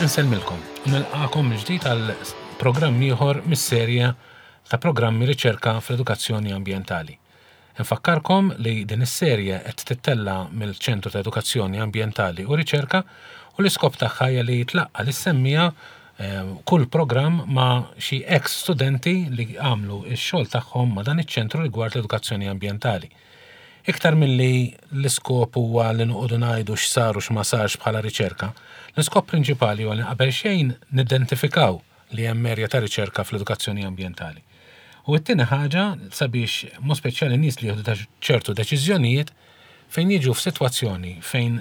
Insellmilkom u nilqakom mill-ġdid għal programm ieħor mis-serje ta' programmi riċerka fl-edukazzjoni ambjentali. Infakkarkom li din is-serje qed tittella' mill-Ċentru ta' Edukazzjoni Ambjentali u Riċerka u l-iskop tagħha hija li tlaqqa' lis-semmiegħa kull programm ma' xi eks studenti li għamlu x-xogħol tagħhom ma' dan iċ-ċentru rigward l-edukazzjoni ambjentali. Iktar milli l-iskop huwa li noqogħdu ngħidu x'sar u x'ma sarx bħala riċerka, l-iskop prinċipali huwa li qabel xejn nidentifikaw li hemm erja ta' riċerka fl-edukazzjoni ambjentali. U t-tieni ħaġa sabiex mod speċjali nies li jieħdu ċertu deċiżjonijiet fejn jiġu f'sitwazzjoni fejn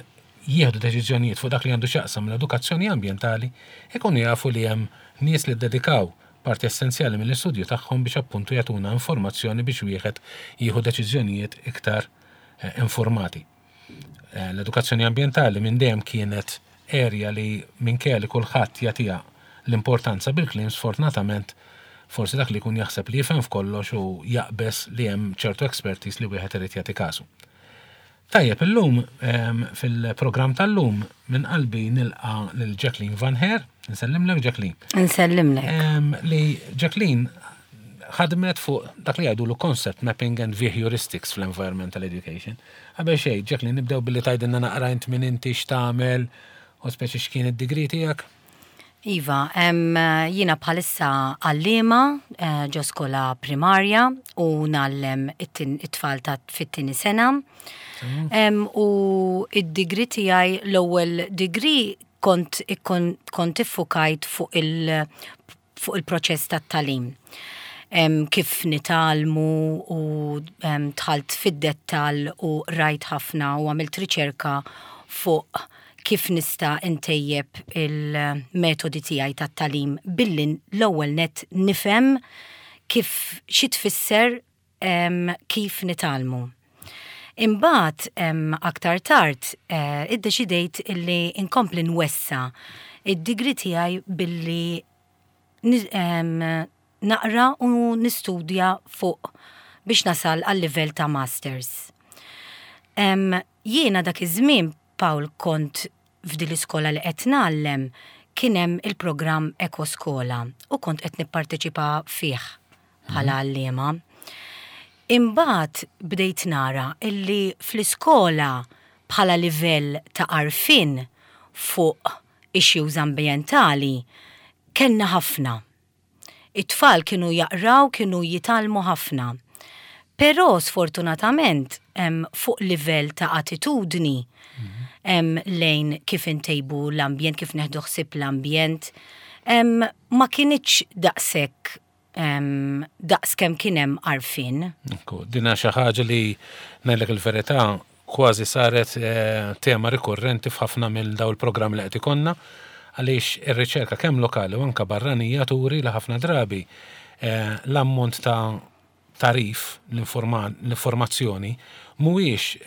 jieħdu deċiżjonijiet fuq dak li għandu x'jaqsam l-edukazzjoni ambjentali ikunu jafu li hemm nies li ddedikaw parti essenzjali mill-istudju tagħhom biex appuntu jagħtuna informazzjoni biex wieħed jieħu deċiżjonijiet iktar eh, informati. Eh, l-edukazzjoni ambjentali minn dejjem kienet area li minkejja li kulħadd jagħtiha l-importanza bil-kliem sfortunatament forsi dak li jkun jaħseb li jifhem f'kollox u jaqbeż li hemm ċertu expertise li wieħed irid jagħti kasu. Tajjeb, illum ehm, fil-programm tal-lum minn qalbi nilqa lil Jacqueline Van Heer. Nsellimlek Jacqueline. Nsellimlek. Ehm, li Jacqueline ħadmet fuq dak li jgħidu concept mapping and heuristics fl-environmental education. Qabel xejn, Jacqueline, nibdew billi tgħidilna naqra int min inti x'tagħmel u speċi x'kien id-degree tiegħek. Iva, jiena bħalissa għalliema eh, ġo skola primarja u ngħallem it-tfal ta' fit-tieni sena. Mm. U id-degree tiegħi l-ewwel degree kont kont iffukajt fuq il- fuq il-proċess tat-tagħlim. Kif nitgħallmu u dħalt fid-dettall u rajt ħafna u għamilt riċerka fuq kif nista' ntejjeb il-metodi tiegħi tat-tagħlim billi l-ewwel nett nifhem kif xi tfisser kif nitgħallmu. Imbagħad aktar tard eh, iddeċidejt illi nkompli nwessa id-degree tiegħi billi naqra u nistudja fuq biex nasal għal livell ta' masters. Jiena dak iż-żmien Paul kont f'din l-iskola li qed ngħallem kien hemm il-programm Ekoskola u kont qed nipparteċipa fih bħala għalliema. Imbagħad bdejt nara illi fl-iskola bħala livell ta' għarfien fuq issues ambjentali kellna ħafna. It-tfal kienu jaqraw, kienu jitgħallmu ħafna. Però sfortunatament fuq livell ta' attitudni lejn kif intejbu l-ambjent, kif neħdu ħsieb l-ambjent, ma kinitx daqshekk daqs kemm kien hemm għarfien. Ekku, din xi ħaġa li ngħidlek il-verità kważi saret tema rikurrenti f'ħafna minn dawn il-programmi li qed ikollna għaliex ir-riċerka kemm lokali u anke barranija turi li ħafna drabi l-ammont ta' tagħrif, l-informazzjoni, mhuwiex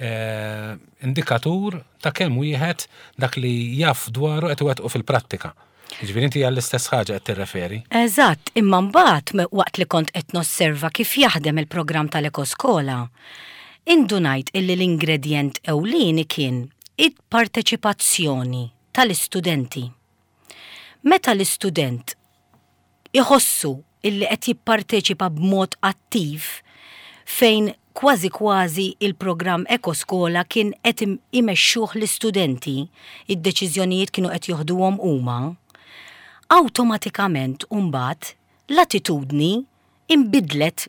indikatur ta' kemm wieħed dak li jaf dwaru qed iwettqu fil-prattika. Jiġifieri inti għall-istess ħaġa qed tirreferi. Eżatt, imma mbagħad waqt li kont qed nosserva kif jaħdem il-programm tal-Ekoskola, indunajt illi l-ingredjent ewlieni kien il-parteċipazzjoni tal-istudenti. Meta l-istudent iħossu illi qed jipparteċipa b'mod attiv fejn kważi kważi il-programm Ekoskola kien qed imexxuh l-istudenti, id-deċiżjonijiet kienu qed joħduhom huma, awtomatikament mbagħad l-attitudni inbidlet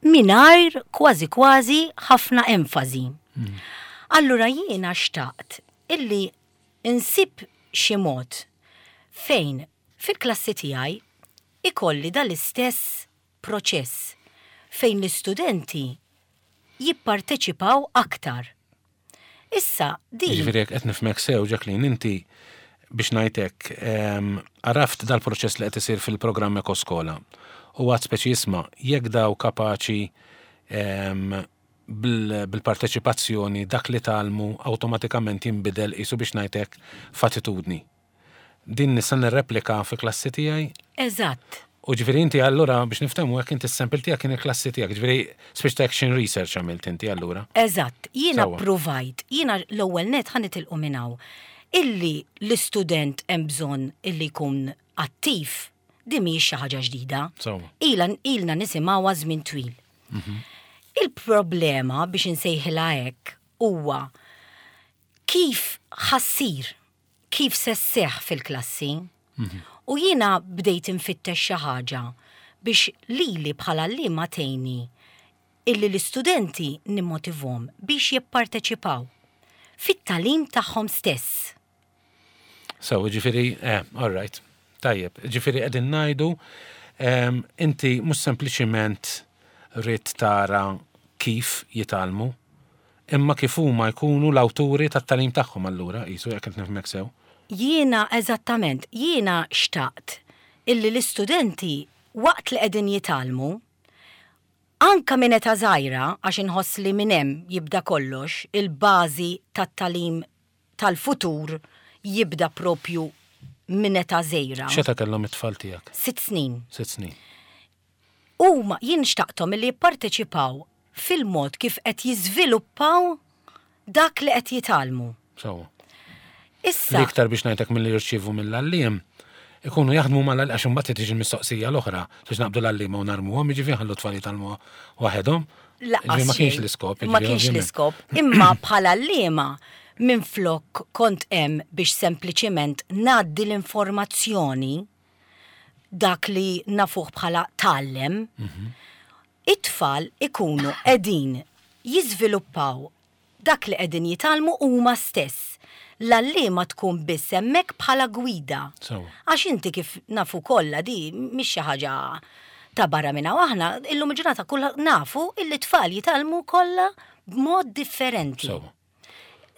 mingħajr kważi kważi ħafna enfasi. Allura jiena xtaqt illi insib xi mod fejn fil-klassi tiegħi ikolli dal-istess proċess fejn l-istudenti jipparteċipaw aktar. Issa din. Jiġifieri jekk qed nifhmek sew, Jacqueline, inti biex ngħid hekk, ehm, għaraft dal-proċess li qed isir fil-programm Ekoskola u għad speċi isma' jekk daw kapaċi ehm, bil-parteċipazzjoni dak li tgħallmu awtomatikament jinbidel qisu biex ngħid hekk f'attitudni. Din nista' nirreplika fil-klassi tiegħi? Eżatt. U ġifieri inti allura biex niftehmu hekk inti s-sample tiegħek kien il-klassi tiegħek, ġifieri speċi ta' action research għamilt inti allura. Eżatt, jiena ppruvajt, jiena l-ewwel net ħa nitilqu minn hawn. Illi l-istudent hemm bżonn illi jkun attiv, din mhijiex xi ħaġa ġdida. Ila ilna nisimgħuha żmien twil. Il-problema biex insejħilha hekk huwa kif ħa ssir, kif se sseħħ fil-klassi. U jiena bdejt infittex xi ħaġa biex lili bħala għalliema tgħinni illi l-istudenti nimmotivhom biex jipparteċipaw fit-tagħlim tagħhom stess. So, ġifieri, eh, all right, tajjeb, ġifieri qegħdin ngħidu inti mhux sempliċiment ridt tara kif jitgħallmu, imma kif huma jkunu l-awturi tat-tagħlim tagħhom allura, qisu jekk qed nifhmek sew. Jiena eżattament, jiena xtaqt illi l-istudenti waqt li qegħdin jitgħallmu, anka minn età żgħira, għax inħoss li minn hemm jibda kollox, il-bażi tat-tagħlim tal-futur jibda propju minn età żgħira. X'età kellhom it-tfal tiegħek? 6 snin. 6 snin. Huma jien xtaqthom illi jipparteċipaw fil-mod kif qed jiżviluppaw dak li qed jitgħallmu. Sewwa. Issa. L-iktar biex ngħidlek milli jirċievu mill-għalliem, ikunu jaħdmu mal għax imbagħad tiġi l-mistoqsija l-oħra biex naqbdu l-għalliema u narmuhom, jiġifieri nħallu t-tfal jitgħallmu waħedhom. Lanqas Ma kienx l-iskop. Ma kienx l-iskop. Imma bħala għalliema minflok kont hemm biex sempliċiment ngħaddi l-informazzjoni dak li nafuh bħala tgħallem, it-tfal ikunu qegħdin jiżviluppaw dak li qegħdin jitgħallmu huma stess. L-għalliema tkun biss hemmhekk bħala gwida. Għax inti kif nafu kollha di mhix xi ħaġa ta' barra minn hawn aħna illum il-ġurnata kull nafu illi t-tfal jitgħallmu kollha b'mod differenti.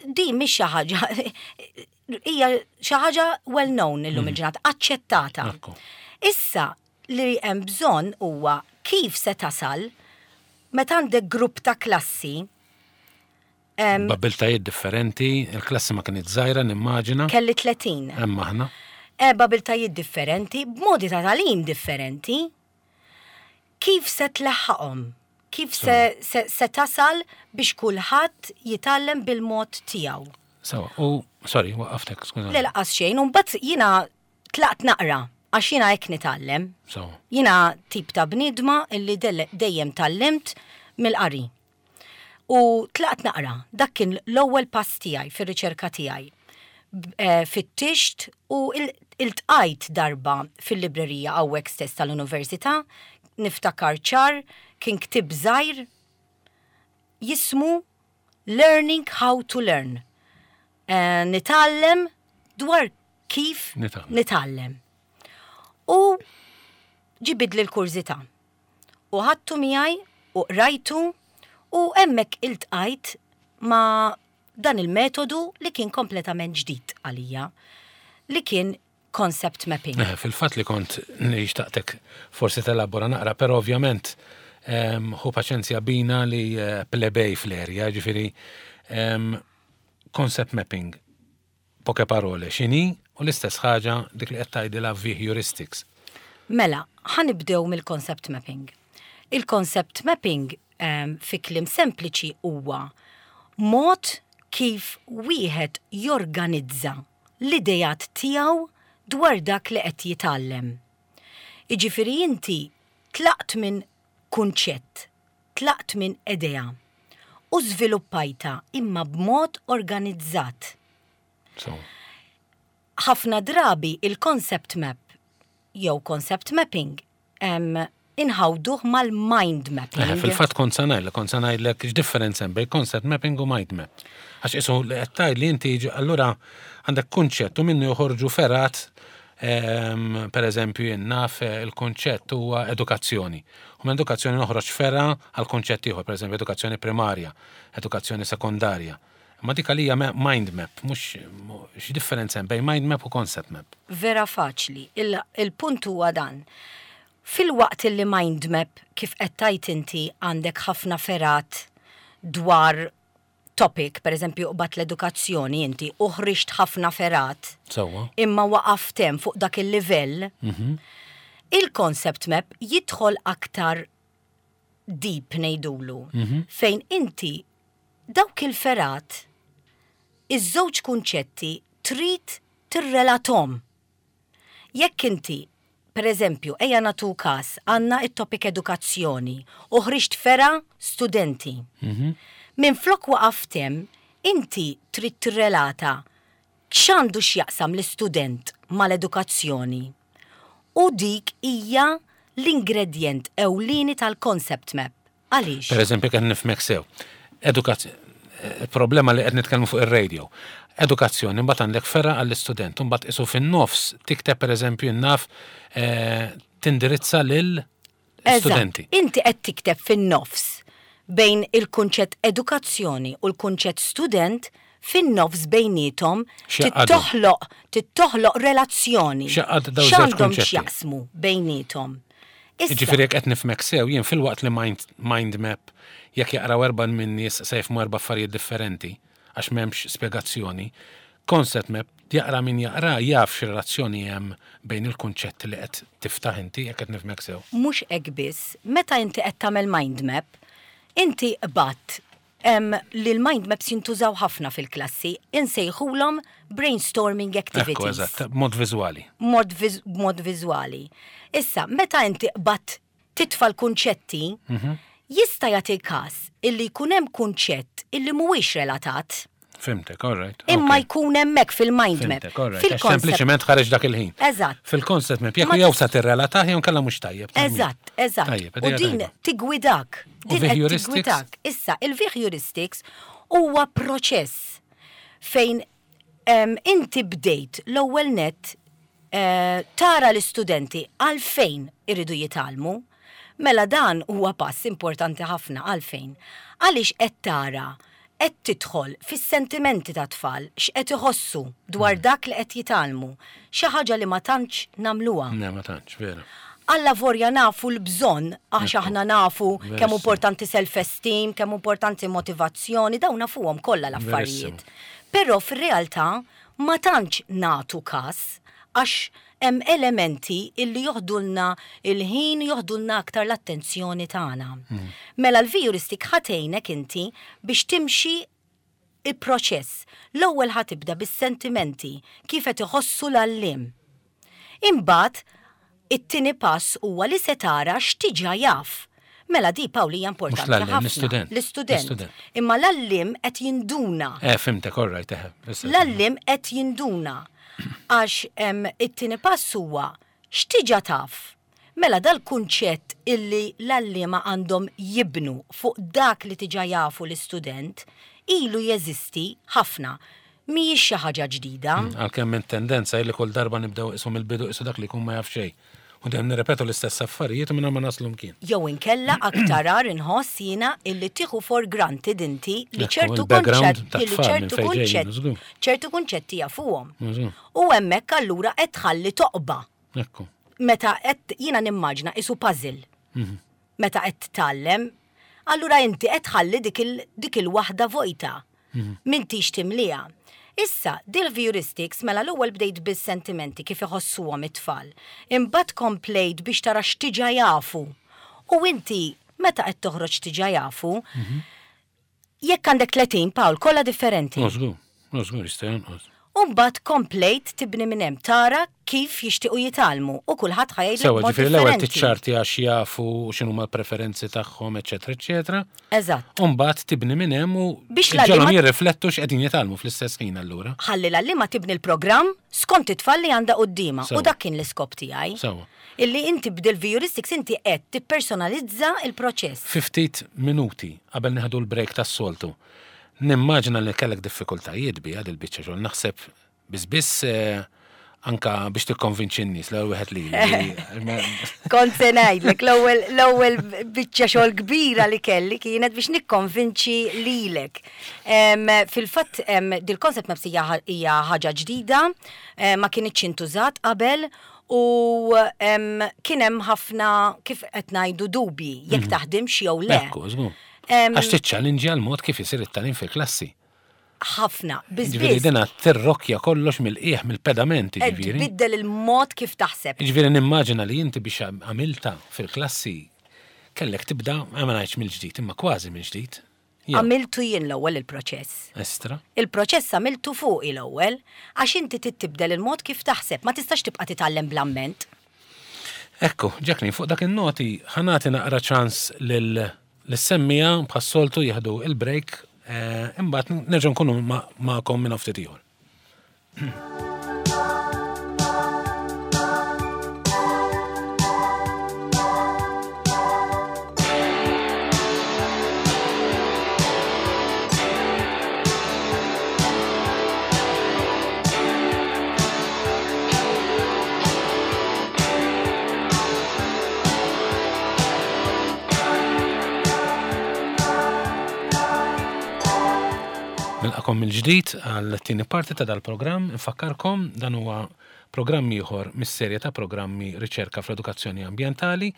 Di mhix xi ħaġa hija xi ħaġa well known illum il-ġurnata, aċċettata. Issa li hemm bżonn huwa kif se tasal meta għandek grupp ta' klassi B'abiltajiet differenti, il-klassi ma kienet żgħira nimmaġina. Kelli 30. Hemm aħna. B'abiltajiet differenti, b'modi ta' tagħlim differenti. Kif se tleħħaqhom? Kif se, se, se tasal biex kulħadd jitgħallem bil-mod tiegħu? Sawa, u sorry, waqqaftek, skużani. Le laqas xejn, u mbagħad jiena tlaqt naqra għax jiena hekk nitgħallem. Jiena tip ta' bniedma illi dejjem tgħallimt mill-qari. U tlaqt naqra, dak kien l-ewwel pass tiegħi fir-riċerka tiegħi. Fittixt u iltqajt darba fil-librerija hawnhekk stess tal-Università, niftakar ċar, kien ktieb żgħir jismu Learning How to Learn. Nitgħallem dwar kif nitgħallem. U ġibidli l-kurżità. U ħadtu miegħi u qrajtu u hemmhekk iltqajt ma' dan il-metodu li kien kompletament ġdid għalija, li kien concept mapping. Eh, fil-fatt li kont xtaqtek forsi telabora naqra, però ovvjament ehm, ħu paċenzja bina li eh, plebej fl-erja, ġifiri ehm, concept mapping Poche parole, x'inhi u l-istess ħaġa dik li qed tgħidilha v-heuristics. Mela, ħa nibdew mill-concept mapping. Il-concept mapping fi kliem sempliċi huwa mod kif wieħed jorganizza l-ideat tiegħu dwar dak li qed jitgħallem. Jiġifieri inti tlaqt minn kunċett Tlaqt minn idea u żviluppajtha imma b'mod organizzat. Ħafna drabi il-concept map jew concept mapping inħawduh mal-mind mapping. Eh, fil-fatt kont se ngħidlek, kont se ngħidlek x'differenza hemm bejn concept mapping u mind map. Għax qisu li qed tgħid li inti allura għandek kunċett u minnu joħorġu fergħat ehm, per eżempju jien naf eh, il-kunċett huwa edukazzjoni. U minn edukazzjoni noħroġ fergħa għal kunċett ieħor, pereżempju edukazzjoni primarja, edukazzjoni sekondarja. Imma dik għalija mind map, mhux x'differenza hemm bejn mind map u concept map. Vera faċli. Il-punt huwa dan. Filwaqt li mind map kif qed tgħid inti għandek ħafna fergħat dwar topic, per eżempju qbadt l-edukazzjoni inti u ħriġt ħafna fergħat. Sewwa. Imma waqaft hemm fuq dak il-livell. Mhm. Il-concept map jidħol aktar deep ngħidulu, mhm. fejn inti dawk il-fergħat iż-żewġ kunċetti trid tirrelathom. Jekk inti, per eżempju, ejja nagħtu każ, għandna it-topic edukazzjoni u ħriġt fergħa studenti. Minflok waqaft hemm, inti trid tirrelata x'għandu x'jaqsam l-istudent mal-edukazzjoni. U dik hija l-ingredjent ewlieni tal-concept map. Għaliex? Per eżempju, qed nifhmek sew. Edukazzjoni, problema li qed nitkellmu fuq ir-radio. Edukazzjoni, mbagħad għandek fergħa għall-istudent, mbagħad isu fin-nofs tikteb pereżempju naf tindirizza lil studenti. Inti qed tikteb fin-nofs bejn il-kunċett edukazzjoni u l-kunċett student fin-nofs bejniethom tittoħloq tittoħloq relazzjoni. X'għandhom x'jaqsmu bejniethom. Jiġifieri jekk qed nifhmek sew, jien filwaqt li mind, mind map jekk jaqraw erba' min-nies se jifhmu erba' affarijiet differenti għax m'hemmx spjegazzjoni, concept map jaqra min jaqra jaf x'relazzjoni hemm bejn il-kunċetti li qed tiftaħ inti jekk qed nifhmek sew. Mhux hekk biss, meta inti qed tagħmel mind map, inti qbadt li l-mind maps jintużaw ħafna fil-klassi, insejħulhom brainstorming activities. Ekku, eżatt, b'mod viżwali. B'mod viżwali. Issa, meta inti qbadt titfa' l-kunċetti, jista' jagħti każ illi jkun hemm kunċett illi mhuwiex relatat. Fhimtek, all right. Imma jkun hemmhekk fil-mind map. Fhimtek, all right. Sempliċement ħareġ dak il-ħin. Eżatt. Fil-concept map, jekk jew sa tirrelatah jew nkella mhux tajjeb. Eżatt, eżatt. U din tigwidak. Din qed tigwidak. Issa, il-heuristics huwa proċess fejn inti bdejt l-ewwel net tara l-istudenti għalfejn iridu jitgħallmu. Mela dan huwa pass importanti ħafna għalfejn. Għaliex qed tara qed tidħol fis-sentimenti tat-tfal, x'qed iħossu dwar dak li qed jitgħallmu, xi ħaġa li ma tantx nagħmluha. Le, ma tantx, vera. Allavolja nafu l-bżonn, għax aħna nafu kemm importanti self-esteem, kemm importanti motivazzjoni, dawn nafuhom kollha l-affarijiet. Però fir-realtà ma tantx nagħtu każ għax hemm elementi illi joħdulna il-ħin, joħdulna aktar l-attenzjoni tagħna. Mela l-heuristic ħa tgħinek inti biex timxi il-proċess. L-ewwel ħa tibda bis-sentimenti, kif qed iħossu l-għalliem. Imbagħad it-tieni pass huwa li se tara x'diġà jaf. Mela di Pawl hija importanti ħafna. L-istudent. L-istudent. Imma l-għalliem qed jinduna. Fhimtek, all right, eħe. L-għalliem qed jinduna. Għax it-tieni pass huwa x'diġà taf. Mela dal-kunċett illi l-għalliema għandhom jibnu fuq dak li diġà jafu l-istudent ilu jeżisti ħafna. Mhijiex xi ħaġa ġdida. Għalkemm tendenza illi kull darba nibdew isu mill-bidu isu dak li jkun ma jaf xejn. U dejjem nirrepetu l-istess affarijiet u minn ma naslu mkien. Jew inkella aktar agħar inħoss jiena illi tieħu for granted inti li ċertu kunċett li ċertu kunċett ċertu kunċetti jafuhom. U hemmhekk allura qed tħalli toqba. Ekku. Meta qed jiena nimmaġna isu puzzle. Meta qed tgħallem, allura inti qed tħalli dik il-waħda vojta. M'intix timliha. Issa, dil-heuristics mela l-ewwel bdejt bis-sentimenti kif iħossuhom it-tfal. Imbagħad komplejt biex tara x'diġà jafu. U inti meta qed toħroġ diġà jafu, jekk għandek 30 Pawl, kollha differenti. Żgur, żgur jista' jonqos. U mbagħad komplejt tibni minn hemm tara kif jixtiequ jitgħallmu u kulħadd ħa jgħidlek Sewa, mod ġifieri l-ewwel differenti. tiċċarti għax jafu x'inhuma l-preferenzi tagħhom, eċetera, eċetera. Eżatt. U mbagħad tibni minn hemm u Biex ġalhom l-għalliema- jirriflettu x'qegħdin jitgħallmu fl-istess ħin allura. Ħalli l-għalliema tibni l-programm skont it-tfal li għandha quddiemha u Sewa. dak kien l-iskop tiegħi. Sewa. Illi inti b'dil-heuristics inti qed tippersonalizza il-proċess. Fi ftit minuti qabel nieħdu l-break tas-soltu. Nimmaġina li kellek diffikultajiet biha dil-biċċa xogħol. Naħseb biss biss anka biex tikkonvinċi n-nies l-ewwel wieħed li. Kont se ngħidlek l-ewwel l-ewwel biċċa xogħol kbira li kelli kienet biex nikkonvinċi lilek. Fil-fatt dil-concept maps hija hija ħaġa ġdida, ma kinitx intużat qabel u kien hemm ħafna kif qed ngħidu dubji jekk taħdimx jew le. Ekku, żgur. Għax tiċċallinġja l-mod kif isir it-tagħlim fil-klassi. Ħafna, biss Ġifieri biss dina tirrokja kollox mill-qiegħ mill-pedament, qed ġifieri. tbiddel il-mod kif taħseb. Ġifieri nimmaġina li inti biex għamilta fil-klassi kellek tibda, ma ngħidx mill-ġdid, imma kważi mill-ġdid. Għamiltu jien l-ewwel il-proċess. Estra. Il-proċess għamiltu fuqi l-ewwel, għax inti trid tibdel il-mod kif taħseb, ma tistax tibqa' titgħallem bl-amment. Ekku, Jacqueline, fuq dak in-noti ħa nagħti naqra ċans lil lis-semmiegħa bħas-soltu jieħdu il-break, imbagħad nerġgħu nkunu magħkom minn ftit ieħor. Nilqakom mill-ġdid għal tieni parti ta' dal-programm. Infakkarkom dan huwa programm ieħor mis-serje ta' programmi Riċerka fl-Edukazzjoni Ambjentali.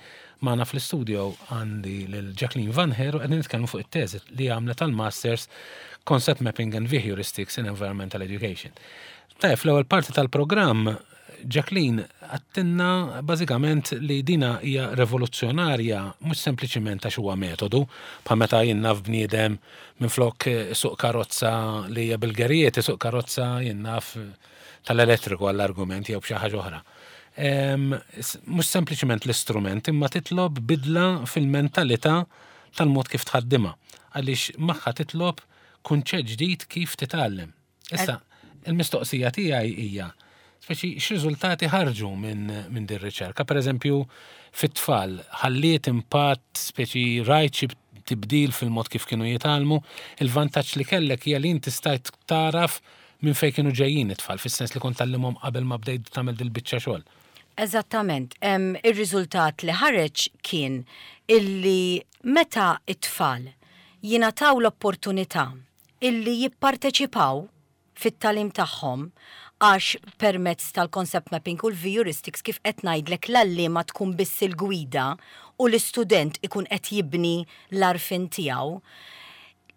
Magħna fl-istudio għandi lil Jacqueline Van Heer u qegħdin nitkellmu fuq it-teżi li għamlet tal-Masters Concept Mapping and Heuristics in Environmental Education. Tajjeb, fl-ewwel parti tal-programm Jacqueline għedtilna bażikament li dina hija revoluzzjonarja mhux sempliċiment għax huwa metodu, bħal meta jien naf bniedem minflok isuq karozza li hija bil-gerijiet isuq karozza jien naf tal-elettriku għall-argument jew b'xi ħaġa oħra. Mhux sempliċiment l-istrument imma titlob bidla fil-mentalità tal-mod kif tħaddimha għaliex magħha titlob kunċett ġdid kif titgħallem. Issa, il-mistoqsija tiegħi hija, speċi x'riżultati ħarġu minn min din riċerka? Per eżempju, fit-tfal, ħalliet impatt, speċi rajt xi tibdil fil-mod kif kienu jitgħallmu, il-vantaġġ li kellek hija li inti stajt taraf minn fejn kienu ġejjin it-tfal, fis-sens li kont tgħallimhom qabel ma bdejt tagħmel dil-biċċa xogħol. Eżattament. Ir-riżultat li ħareġ kien illi meta it-tfal jingħataw l-opportunità illi jipparteċipaw fit-tagħlim tagħhom għax permezz tal-concept mapping u l-heuristics kif qed ngħidlek l-għalliema tkun biss il-gwida u l-istudent ikun qed jibni l-għarfien tiegħu.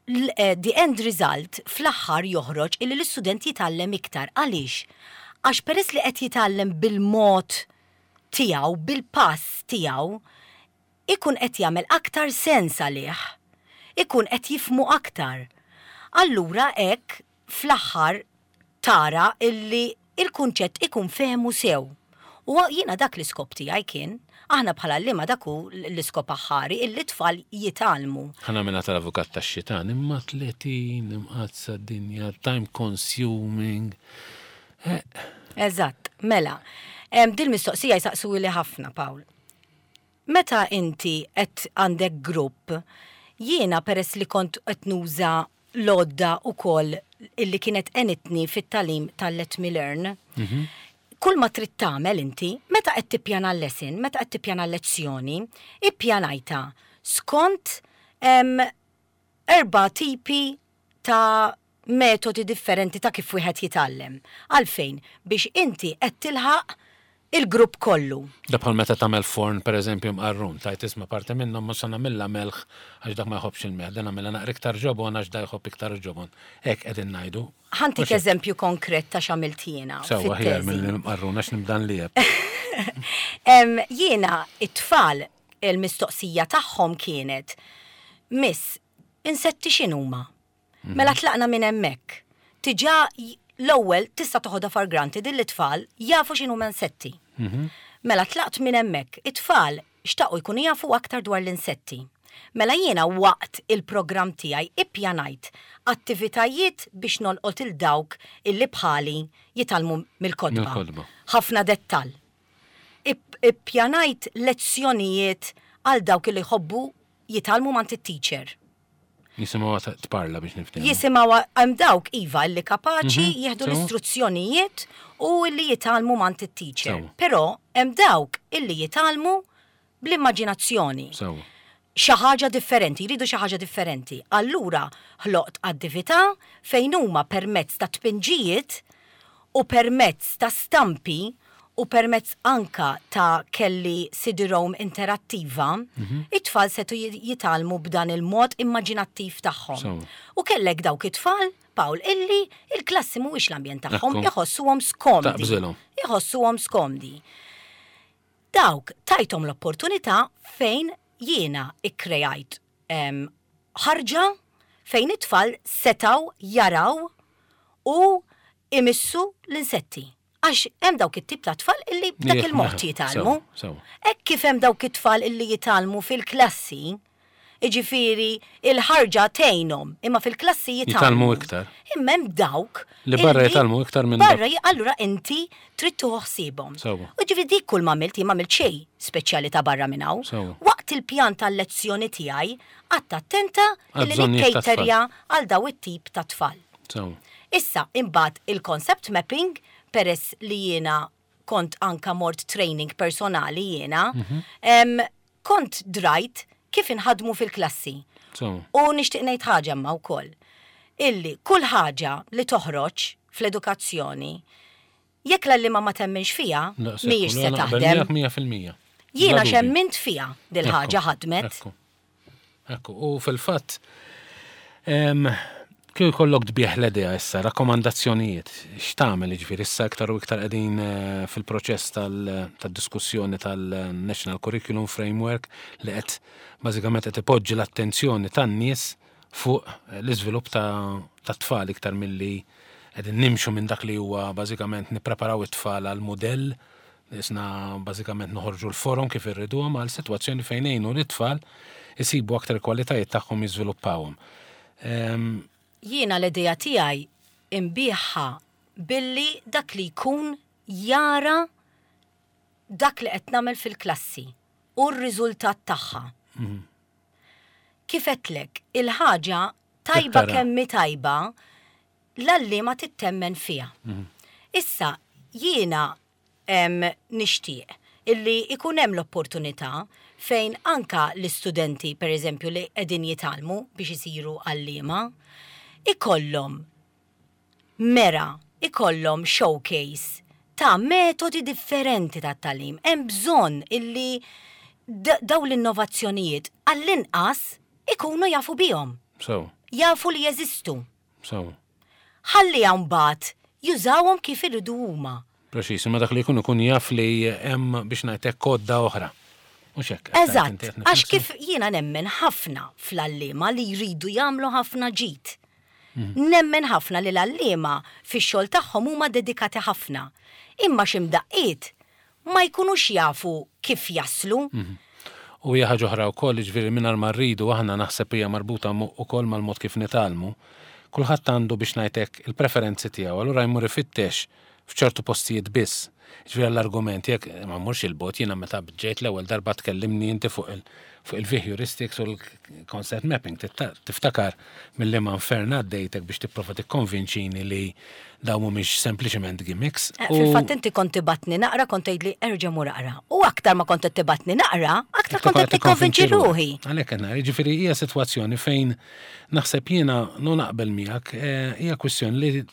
The end result fl-aħħar joħroġ illi l-istudent jitgħallem iktar. Għaliex? Għax peress li qed jitgħallem bil-mod tiegħu, bil-pass tiegħu, ikun qed jagħmel aktar sens għalih, ikun qed jifhmu aktar. Allura hekk fl-aħħar tara illi il-kunċett ikun fehmu sew. U jiena dak l-iskop tiegħi kien, aħna bħala għalliema dak hu l-iskop aħħari illi t-tfal jitgħallmu. Ħa nagħmilha tal-avukat tax-xitan, imma 30 imqaddsa d-dinja, time consuming. Eżatt, mela. Dil-mistoqsija jsaqsuhili ħafna, Paul. Meta inti qed għandek grupp, jiena peress li kont qed nuża l-għodda wkoll illi kienet għenitni fit-tagħlim tal-Let Me Learn, kull ma trid tagħmel inti, meta qed tippjana l-lesson, meta qed tippjana l-lezzjoni, ippjanajtha skont erba' tipi ta' metodi differenti ta' kif wieħed jitgħallem. Għalfejn? Biex inti qed tilħaq il-grupp kollu. Da bħal meta tagħmel forn pereżempju mqarrun, tgħid isma' parti minnhom mhux se nagħmilha melħ għax dak ma jħobbx il-melħ, dan nagħmilha naqra iktar ġobon għax da jħobb iktar ġobon. Hekk qegħdin ngħidu. Ħa ntik eżempju konkret ta' x'għamilt jiena. Sewwa aħjar mill-mqarrun għax nibda nlieb. Jiena it-tfal il-mistoqsija tagħhom kienet, Miss, insetti x'inhuma? Mela tlaqna minn hemmhekk. Tiġà l-ewwel tista' toħodha for granted illi t-tfal jafu x'inhuma insetti. Mela tlaqt minn hemmhekk. It-tfal xtaqu jkunu jafu aktar dwar l-insetti. Mela jiena waqt il-programm tiegħi ippjanajt attivitajiet biex nolqot 'il dawk illi bħali jitgħallmu mill-kotba. Ħafna dettall. Ippjanajt lezzjonijiet għal dawk illi jħobbu jitgħallmu m'għand it-teacher. Jisimgħuha tparla biex niftehmu. Jisimgħuha hemm dawk iva illi kapaċi mhm, jieħdu l-istruzzjonijiet u illi jitgħallmu m'għand it-teacher. Però hemm dawk illi jitgħallmu bl-immaġinazzjoni. Xi ħaġa differenti, jridu xi ħaġa differenti. Allura ħloqt attività fejn huma permezz ta' tpinġijiet u permezz ta' stampi u permezz anka ta' kelli CD-ROM interattiva, it-tfal setgħu jitgħallmu b'dan il-mod immaġinattiv tagħhom. U kellek dawk it-tfal, Paul, illi il-klassi mhuwiex l-ambjent tagħhom, iħossuhom skomdi. Iħossuhom skomdi. Dawk tajthom l-opportunità fejn jiena ikkrejajt ħarġa. fejn it-tfal setgħu jaraw u imissu l-insetti. Għax hemm dawk it-tip ta' tfal illi b'dak il-mod jitgħallmu. Hekk kif hemm dawk it-tfal illi jitgħallmu fil-klassi, jiġifieri il-ħarġa tgħinhom, imma fil-klassi jitgħallmu. Jitgħallmu iktar. Imma hemm dawk. Li barra jitgħallmu iktar minn. Barra, allura inti trid tieħu ħsiebhom. U ġifieri dik kull ma għamilt, jien m'għamilt xejn speċjali ta' barra minn hawn. Waqt il-pjan tal-lezzjoni tiegħi, qgħadt attenta illi nikkejterja għal daw it-tip ta' tfal. Issa, imbagħad il-concept mapping, peress li jiena kont anka mort training personali jiena, kont drajt kif inħaddmu fil-klassi. U nixtieq ngħid ħaġa imma wkoll, illi kull ħaġa li toħroġ fl-edukazzjoni, jekk l-għalliema ma temminx fiha, mhijiex se taħdem. Jiena x'emmint fiha dil-ħaġa ħadmet. Ekku, u fil-fatt, kieku jkollok tbigħ l-idea issa, rakkomandazzjonijiet, x'tagħmel jiġifieri issa iktar u iktar qegħdin eh, fil-proċess tad-diskussjoni tal-National Curriculum Framework li qed bażikament qed ipoġġi l-attenzjoni tan-nies fuq l-iżvilupp ta' tfal iktar milli qegħdin nimxu minn dak li huwa bażikament nippreparaw it-tfal għal mudell Qisna bażikament noħorġu l-forom kif irriduhom għal sitwazzjoni fejn ngħinu lit-tfal isibu aktar il-kwalitajiet tagħhom jiżviluppawhom. Jiena l-idea tiegħi nbigħha billi dak li jkun jara dak li qed nagħmel fil-klassi u r-riżultat tagħha. Kif għedtlek, il-ħaġa tajba kemm hi tajba, l-għalliema tittemmen fiha. Issa, jiena nixtieq illi jkun hemm l-opportunità fejn anka l-istudenti, per eżempju, li qegħdin jitgħallmu biex isiru għalliema, ikollhom mera, ikollhom showcase ta' metodi differenti ta' tagħlim. Hemm bżonn illi dawn l-innovazzjonijiet għall-inqas ikunu jafu bihom. Jafu li jeżistu. Sew. Ħalliha mbagħad jużawhom kif iridu huma. Preċiż, imma dak li jkun ikun jaf li hemm biex ngħid hekk għodda oħra. Mhux hekk? Eżatt, għax kif jiena nemmen ħafna fl-għalliema li jridu jagħmlu ħafna ġid. Nemmen ħafna li l-għalliema fix-xogħol tagħhom huma dedikati ħafna. Imma xi mdaqqiet ma jkunux jafu kif jaslu. U hija ħaġa oħra wkoll, jiġifieri mingħajr ma rridu aħna naħseb hija marbuta ukoll mal-mod kif nitgħallmu. Kulħadd għandu biex ngħid hekk il-preferenzi tiegħu, allura jmur ifittex f'ċertu postijiet biss. Jiġifieri għall-argument jekk ma mmurx 'il bogħod jiena meta ġejt l-ewwel darba tkellimni inti fuq il fuq il-heuristics u l-concept mapping. Tiftakar mill-liema infern għaddejtek biex tipprova tikkonvinċini li dawn mhumiex sempliċement gimmicks. Eh, fil-fatt inti kont tibatni naqra kont tgħidli erġa' mur aqra. U aktar ma kont qed tibatni naqra, aktar kont qed tikkonvinċi ruħi. Għalhekk qed ngħid, jiġifieri hija sitwazzjoni fejn naħseb jiena nu naqbel miegħek eh, hija kwistjoni li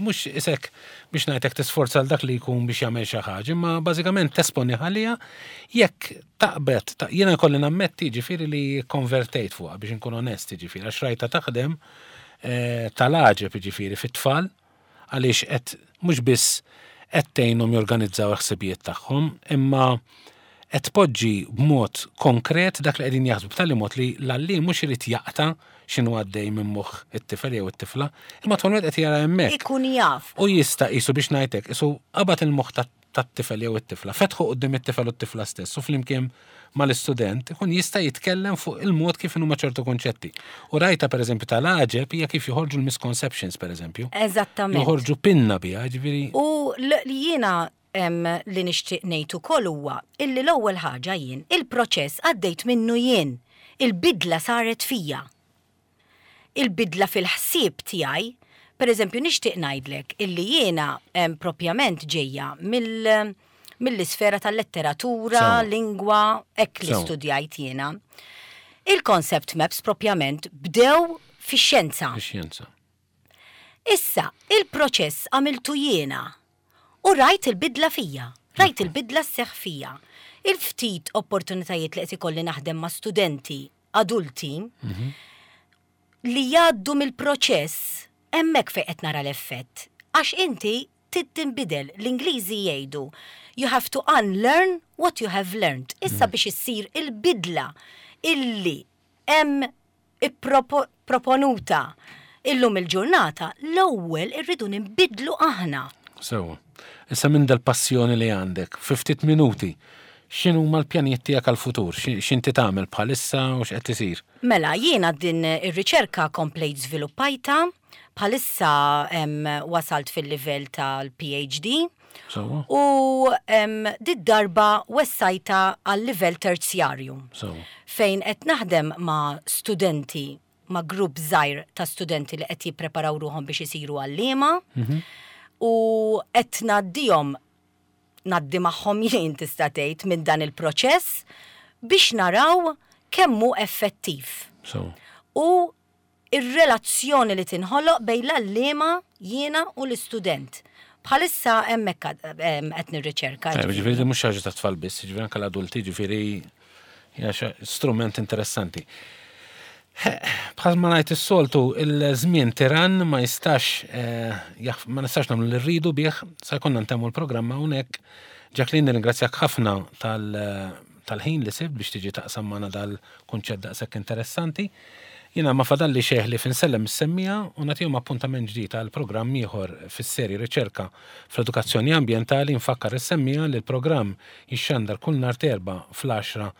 mhux isek biex ngħidlek tisforza għal dak li jkun biex jagħmel xi ħaġa, imma bażikament tesponi ħalija jekk taqbet, jiena jkolli nammetti ġifieri li konvertejt fuqha biex inkun onest ġifieri għax rajta taħdem eh, tal-għaġeb ġifieri fit-tfal għaliex qed mhux biss qed tgħinhom jorganizzaw il-ħsibijiet tagħhom, imma qed tpoġġi b'mod konkret dak li qegħdin jaħsbu b'tali mod li l-għalliem mhux irid jaqta' x'inhu għaddej minn moħħ it-tifel jew it-tifla, imma tkun wieħed qed jara hemmhekk. Ikun jaf. U jista' qisu biex ngħid hekk, qisu qabad il-moħħ tat-tifel jew it-tifla, fetħu quddiem it-tifel u t-tifla stess u flimkien mal-istudent ikun jista' jitkellem fuq il-mod kif inhuma ċertu kunċetti. U rajta pereżempju tal-għaġeb hija kif joħorġu l-misconceptions pereżempju. Eżattament. Joħorġu pinna biha, ġifieri. U jiena li nixtieq ngħid ukoll huwa illi l-ewwel ħaġa jien il-proċess għaddejt minnu jien. Il-bidla saret fija. Il-bidla fil-ħsieb tiegħi, pereżempju nixtieq ngħidlek illi jiena propjament ġejja mill mill-isfera tal-letteratura, lingwa, hekk li studjajt jiena. Il-concept maps propjament bdew fix-xjenza. Fix-xjenza. Issa, il-proċess għamiltu jiena u rajt il-bidla fija, rajt il-bidla sseħħ fija. Il-ftit opportunitajiet li qed ikolli naħdem ma' studenti adulti li jgħaddu mill-proċess hemmhekk fejn qed nara l-effett. Għax inti trid tinbidel. L-Ingliżi jgħidu you have to unlearn what you have learned. Issa biex issir il-bidla illi hemm. ipproponuta illum il-ġurnata, l-ewwel irridu ninbidlu aħna. Sewwa. Issa minn dal-passjoni li għandek, fi ftit minuti, x'inhuma l-pjanijiet tiegħek għall-futur? X'inti tagħmel bħalissa u x'qed isir? Mela, jiena din ir-riċerka komplejt żviluppajtha, bħalissa wasalt fil-livell tal-PhD. Sewwa. U did-darba wessajtha għal livell terzjarju. Sewwa. Fejn qed naħdem ma' studenti, ma' grupp żgħir ta' studenti li qed jippreparaw ruħhom biex isiru għalliema. U qed ngħaddihom, ngħaddi magħhom jien tista' tgħid minn dan il-proċess biex naraw kemm hu effettiv. Sewwa. U Ir-relazzjoni li tinħoloq bejn l-għalliema, jiena u l-istudent. Bħalissa hemmhekk qed nirriċerka. Ġifieri mhux ħaġa ta' tfal biss, ġifieri anke l-adulti, ġifieri hija strument interessanti. Bħal ma ngħid is-soltu, il-żmien tiran ma jistax eh, ma nistax nagħmlu li rridu bih, sa jkollna ntemmu l-programma hawnhekk. Jacqueline, nirringrazzjak ħafna tal-ħin li sibt biex tiġi taqsam magħna dal-kunċett daqshekk interessanti. Jiena ma fadalli xejn ħlief insellem is-semmiegħa u nagħtihom appuntament ġdid għal programm ieħor fis-serje Riċerka fl-Edukazzjoni Ambjentali. Infakkar lis-semmiegħa li l-programm jixxandar kull nhar t'Erbgħa fl-għaxra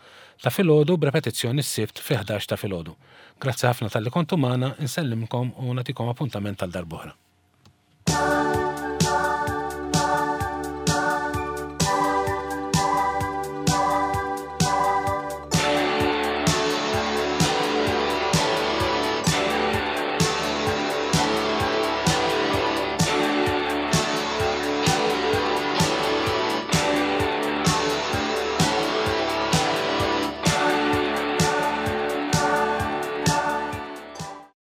ta' filgħodu b'repetizzjoni s-Sibt fil-ħdax ta' filgħodu. Grazzi ħafna talli kontu magħna, insellimkom u nagħtikom appuntament għal darb'oħra.